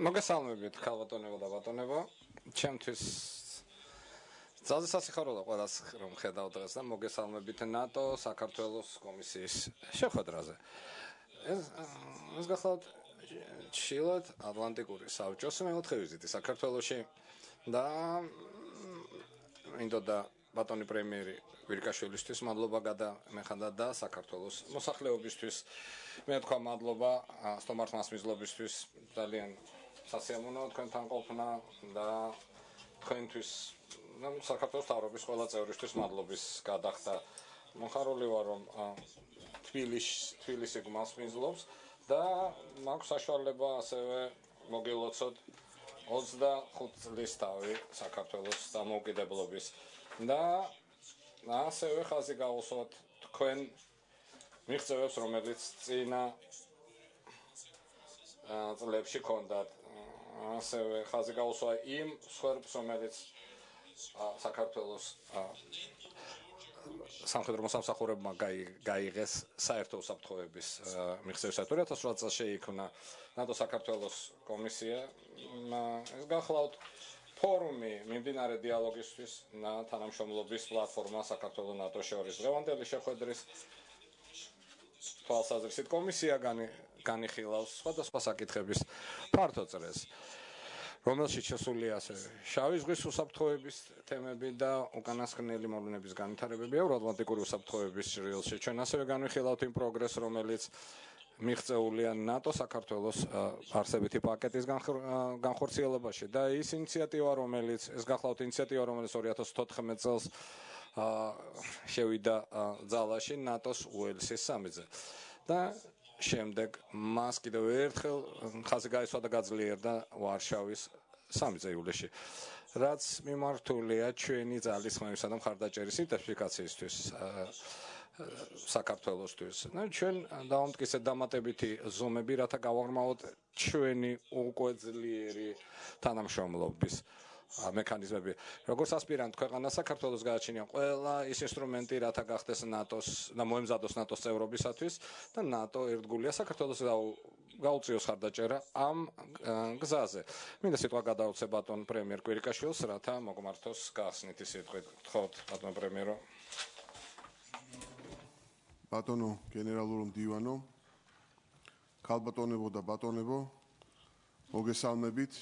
მოგესალმებით, ქალბატონებო და ბატონებო. ჩემთვის ძალზე სასიხარულო ყველას რომ ხედავ დღეს და მოგესალმებით ნატო საქართველოს კომისიის შეხვედრაზე. ეს გახლავთ ჩილად ატლანტიკური საბჭოს მეოთხე ვიზიტი საქართველოში და მინდოდა ბატონი პრემიერი ვირკაშვილისთვის მადლობა გადამეხადა და საქართველოს მოსახლეობისთვის მე თქვა მადლობა სტომართ მასმიზლობისთვის ძალიან სასიამოვნოა თქვენთან ყოფნა და თქვენთვის საქართველოს თავრობის ყველა წევრისთვის მადლობის გადახდა მოხარული ვარ რომ თბილისი მასმიზლობს და მაქვს საშუალება ასევე მოგილოცოთ 25 წლის თავი საქართველოს დამოუკიდებლობის და ასევე ხაზი გავუსვათ თქვენ მიღწევებს რომელიც წინა წლებში ჰქონდათ ასევე ხაზი გავუსვა იმ სხვერპს რომელიც საქართველოს სამხედრო მოსამსახურებმა გაიღეს საერთო უსაფრთხოების მიღწევისათვის 2008 წელს შეიქმნა ნატო საქართველოს კომისია ეს გახლავთ ფორუმი მიმდინარე დიალოგისთვის და თანამშრომლობის პლატფორმა საქართველოს ნატოს შორის დღევანდელი შეხვედრის თვალსაზრისით კომისია განიხილავს სხვადასხვა საკითხების ფართო წრეს რომელშიც შესულია ასევე შავი ზღვის უსაფრთხოების თემები და უკანასკნელი მოვლენების განვითარებები ევროატლანტიკური უსაფრთხოების ჭრილში ჩვენ ასევე განვიხილავთ იმ პროგრესს რომელიც მიღწეულია ნატო საქართველოს არსებითი პაკეტის განხორციელებაში და ის ინიციატივა რომელიც ეს გახლავთ ინიციატივა რომელიც 2014 წელს შევიდა ძალაში ნატოს უელსის სამიზე და შემდეგ მას კიდევ ერთხელ ხაზი გაისვა და გაძლიერდა ვარშავის სამიზე ივლისში რაც მიმართულია ჩვენი ძალისხმევისა და მხარდაჭერის ინტენსიფიკაციისთვის საქართველოსთვის. ჩვენ დავამტკიცეთ დამატებითი ზომები, რათა გავაღრმავოთ ჩვენი უკვე ძლიერი თანამშრომლობის მექანიზმები. როგორც ასპირანტ ქვეყანა საქართველოს გააჩნია ყველა ის ინსტრუმენტი, რათა გახდეს ნატოს და მოემზადოს ნატოს წევრობისათვის და ნატო ერთგულია საქართველოს გაუწიოს ხარდაჭერა ამ გზაზე. მინდა სიტყვა გადაუცე ბატონ პრემიერ კვირიკაშვილს, რათა მოგმართოს გახსნითი სიტყვით. გთხოვთ ბატონ პრემიერო. ბატონო გენერალურო მდივანო, ქალბატონებო და ბატონებო, მოგესალმებით.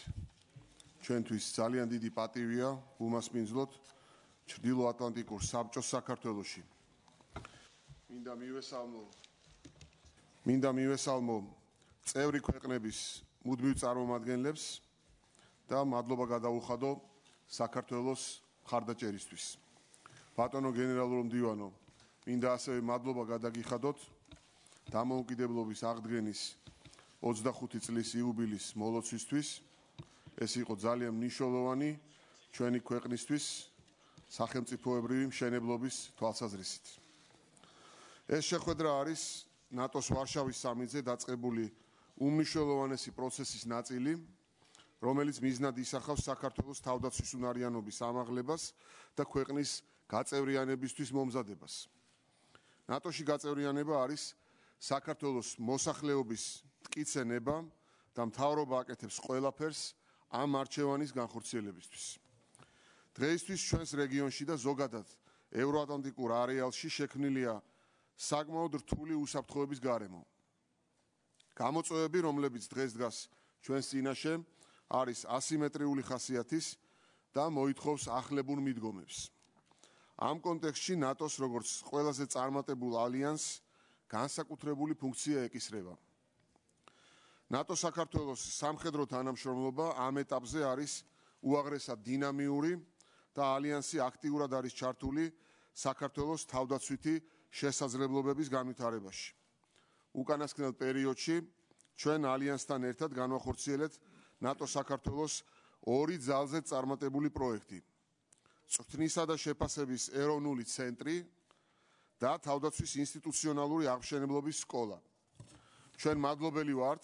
ჩვენთვის ძალიან დიდი პატივია უმასპინძლოთ ჩრდილოატლანტიკურ საბჭოს საქართველოში. მინდა მივესალმო წევრი ქვეყნების მუდმივ წარმომადგენლებს და მადლობა გადაუხადო საქართველოს მხარდაჭერისთვის. ბატონო გენერალურო მდივანო, მინდა ასევე მადლობა გადაგიხადოთ დამოუკიდებლობის აღდგენის 25 წლის იუბილის მოლოცვისთვის. ეს იყო ძალიან მნიშვნელოვანი ჩვენი ქვეყნისთვის სახელმწიფოებრივი მშენებლობის თვალსაზრისით. ეს შეხვედრა არის ნატოს ვარშავის სამიტზე დაწყებული უმნიშვნელოვანესი პროცესის ნაწილი, რომელიც მიზნად ისახავს საქართველოს თავდაცვის უნარიანობის ამაღლებას და ქვეყნის გაწევრიანებისთვის მომზადებას. ნატოში გაწევრიანება არის საქართველოს მოსახლეობის მტკიცენება და მთავრობა აკეთებს ყველაფერს ამ არჩევანის განხორციელებისთვის. დღეისთვის ჩვენს რეგიონში და ზოგადად ევროატლანტიკურ არეალში შექმნილია საკმაოდ რთული უსაფრთხოების გარემო. გამოწვევები, რომლებიც დღეს დგას ჩვენს წინაშე, არის ასიმეტრიული ხასიათის და მოითხოვს ახლებურ მიდგომებს. ამ კონტექსტში ნატოს როგორც ყველაზე წარმატებულ ალიანსს განსაკუთრებული ფუნქცია ეკისრება. ნატო საქართველოს სამხედრო თანამშრომლობა ამ ეტაპზე არის უაღრესად დინამიური და ალიანსი აქტიურად არის ჩართული საქართველოს თავდაცვითი შესაძლებლობების განვითარებაში. უკანასკნელ პერიოდში ჩვენ ალიანსთან ერთად განვახორციელეთ ნატო საქართველოს ორი ძალზე წარმატებული პროექტი. წვრთნისა და შეფასების ეროვნული ცენტრი და თავდაცვის ინსტიტუციონალური აღმშენებლობის სკოლა. ჩვენ მადლობელი ვართ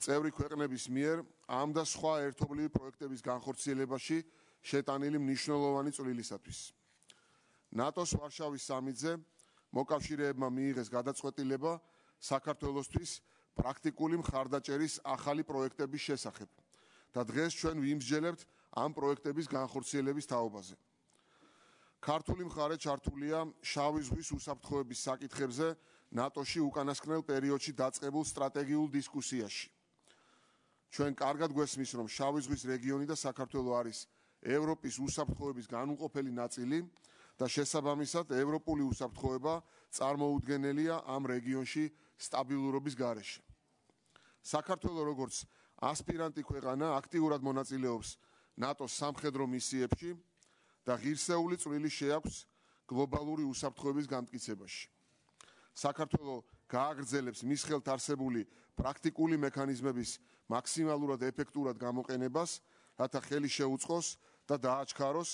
წევრი ქვეყნების მიერ ამ და სხვა ერთობლივი პროექტების განხორციელებაში შეტანილი მნიშვნელოვანი წვლილისათვის. ნატოს ვარშავის სამიტზე მოკავშირეებმა მიიღეს გადაწყვეტილება საქართველოსთვის პრაქტიკული მხარდაჭერის ახალი პროექტების შესახებ, და დღეს ჩვენ ვიმსჯელებთ ამ პროექტების განხორციელების თაობაზე. ქართული მხარე ჩართულია შავი ზღვის უსაფრთხოების საკითხებზე ნატოში უკანასკნელ პერიოდში დაწყებულ სტრატეგიულ დისკუსიაში. ჩვენ კარგად გვესმის, რომ შავი ზღვის რეგიონი და საქართველო არის ევროპის უსაფრთხოების განუყოფელი ნაწილი და შესაბამისად ევროპული უსაფრთხოება წარმოუდგენელია ამ რეგიონში სტაბილურობის გარეშე. საქართველო როგორც ასპირანტი ქვეყანა აქტიურად მონაწილეობს ნატოს სამხედრო მისიებში და ღირსეული წვლილი შეაქვს გლობალური უსაფრთხოების განმტკიცებაში. საქართველო გააგრძელებს მის ხელთ არსებული პრაქტიკული მექანიზმების მაქსიმალურად ეფექტურად გამოყენებას, რათა ხელი შეუწყოს და დააჩქაროს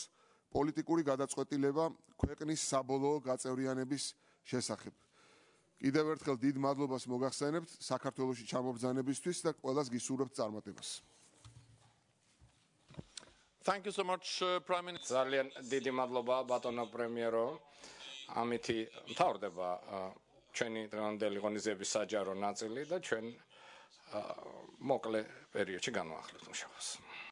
პოლიტიკური გადაწყვეტილება ქვეყნის საბოლოო გაწევრიანების შესახებ. კიდევ ერთხელ დიდ მადლობას მოგახსენებთ საქართველოში ჩამობრძანებისთვის და ყველას გისურვებთ წარმატებას. Thank you so much, Prime Minister. ძალიან დიდი მადლობა ბატონო პრემიერო. ამითი მთავრდება ჩვენი დღევანდელი ღონისძიების საჯარო ნაწილი და ჩვენ მოკლე პერიოდში განვაახლებთ მუშაობას.